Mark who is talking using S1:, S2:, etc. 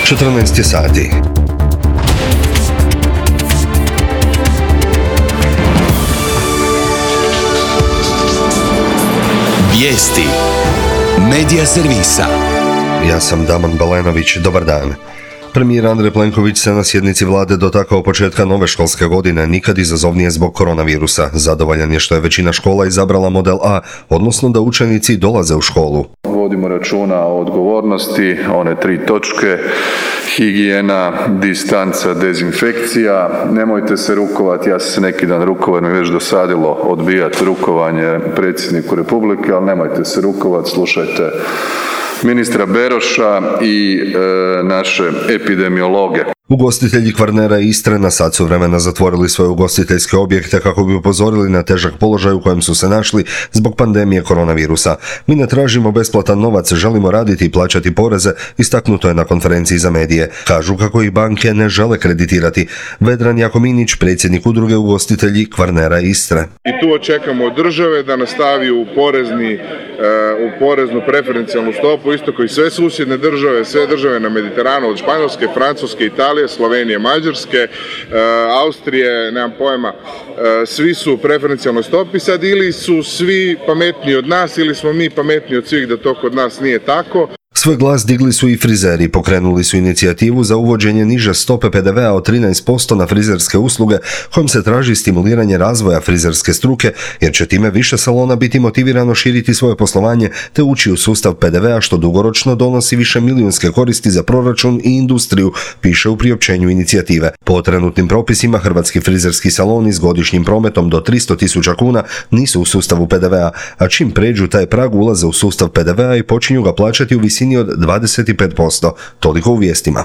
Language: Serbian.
S1: 14 sati.
S2: Vijesti Medija servisa.
S1: Ja sam Damon Balenović, dobar dan. Premijer Andrej Plenković se na sjednici vlade dotakao početka nove školske godine, nikad izazovnije zbog koronavirusa. Zadovoljan je što je većina škola izabrala model A, odnosno da učenici dolaze u školu.
S3: Vodimo računa o odgovornosti, one 3 točke, higijena, distanca, dezinfekcija. Nemojte se rukovati, ja sam se neki dan rukovao, mi već dosadilo odbijati rukovanje predsjedniku Republike, ali nemojte se rukovati, slušajte ministra Beroša i naše epidemiologe.
S1: Ugostitelji Kvarnera i Istre na sat su vremena zatvorili svoje ugostiteljske objekte kako bi upozorili na težak položaj u kojem su se našli zbog pandemije koronavirusa. Mi ne tražimo besplatan novac, želimo raditi i plaćati poreze, istaknuto je na konferenciji za medije. Kažu kako ih banke ne žele kreditirati. Vedran Jakominić, predsjednik udruge ugostitelji Kvarnera i Istre.
S4: I tu očekamo od države da nastavi u poreznu preferencijalnu stopu, isto kao i sve susjedne države, sve države na Mediteranu, od Španjolske, Francuske, Italije, Slovenije, Mađarske, Austrije, nemam pojma, svi su u preferencijalnoj stopi sad, ili su svi pametniji od nas ili smo mi pametniji od svih da to kod nas nije tako.
S1: Svoj glas digli su i frizeri, pokrenuli su inicijativu za uvođenje niže stope PDV-a od 13% na frizerske usluge, kojom se traži stimuliranje razvoja frizerske struke, jer će time više salona biti motivirano širiti svoje poslovanje te ući u sustav PDV-a, što dugoročno donosi više milijunske koristi za proračun i industriju, piše u priopćenju inicijative. Po trenutnim propisima, hrvatski frizerski saloni s godišnjim prometom do 300.000 kuna nisu u sustavu PDV-a, a čim pređu taj prag ulaze u sustav PDV-a i počinju ga plaćati u visini od 25%. Toliko u vijestima.